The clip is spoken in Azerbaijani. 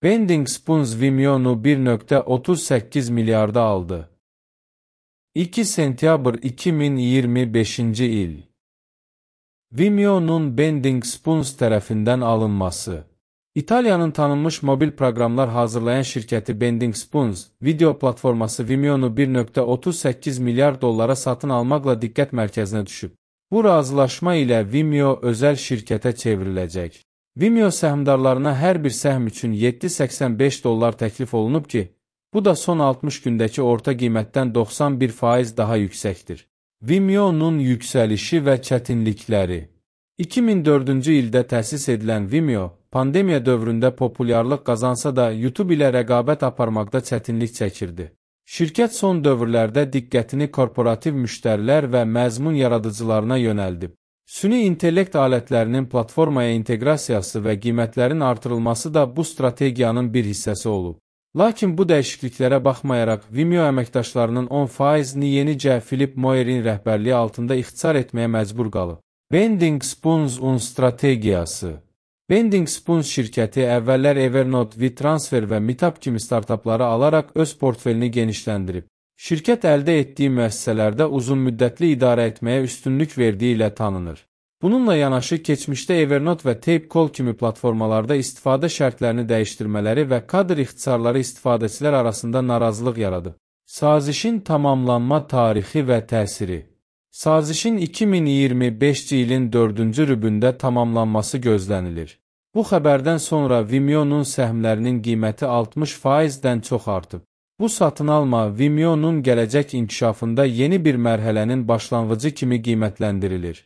Bending Spoons Vimeo'nu 1,38 milyarda aldı. 2 sentyabr 2025 il. Vimeo'nun Bending Spoons tərəfindən alınması. İtaliyanın tanınmış mobil proqramlar hazırlayan şirkəti Bending Spoons, video platforması Vimeo'nu 1,38 milyar dollara satın almaqla diqqət mərkəzinə düşüb. Bu razılaşma ilə Vimeo özəl şirkətə çevriləcək. Vimeo səhmdarlarına hər bir səhm üçün $7.85 təklif olunub ki, bu da son 60 gündəki orta qiymətdən 91% daha yüksəkdir. Vimeo'nun yüksəlişi və çətinlikləri. 2004-cü ildə təsis edilən Vimeo, pandemiya dövründə populyarlıq qazansa da YouTube ilə rəqabət aparmaqda çətinlik çəkirdi. Şirkət son dövrlərdə diqqətini korporativ müştərilər və məzmun yaradıcılarına yönəldib. Süni intellekt alətlərinin platformaya inteqrasiyası və qiymətlərin artırılması da bu strategiyanın bir hissəsi olub. Lakin bu dəyişikliklərə baxmayaraq, Vimeo əməkdaşlarının 10%-ni yenicə Philip Moyerin rəhbərliyi altında ixtisar etməyə məcbur qalıb. Bending Spoons-un strategiyası. Bending Spoons şirkəti əvvəllər Evernote, WeTransfer və Meetup kimi startapları alaraq öz portfelini genişləndirib. Şirkət əldə etdiyi müəssisələrdə uzunmüddətli idarə etməyə üstünlük verdiyi ilə tanınır. Bununla yanaşı, keçmişdə Evernote və Tapecall kimi platformalarda istifadə şərtlərini dəyişdirmələri və kadr ixtisarları istifadəçilər arasında narazılıq yaradıb. Sazişin tamamlanma tarixi və təsiri. Sazişin 2025 ilin 4-cü rübündə tamamlanması gözlənilir. Bu xəbərdən sonra Vimeo'nun səhmlərinin qiyməti 60%-dən çox artıb. Bu satın alma Vimeo'nun gələcək inkişafında yeni bir mərhələnin başlanğıcı kimi qiymətləndirilir.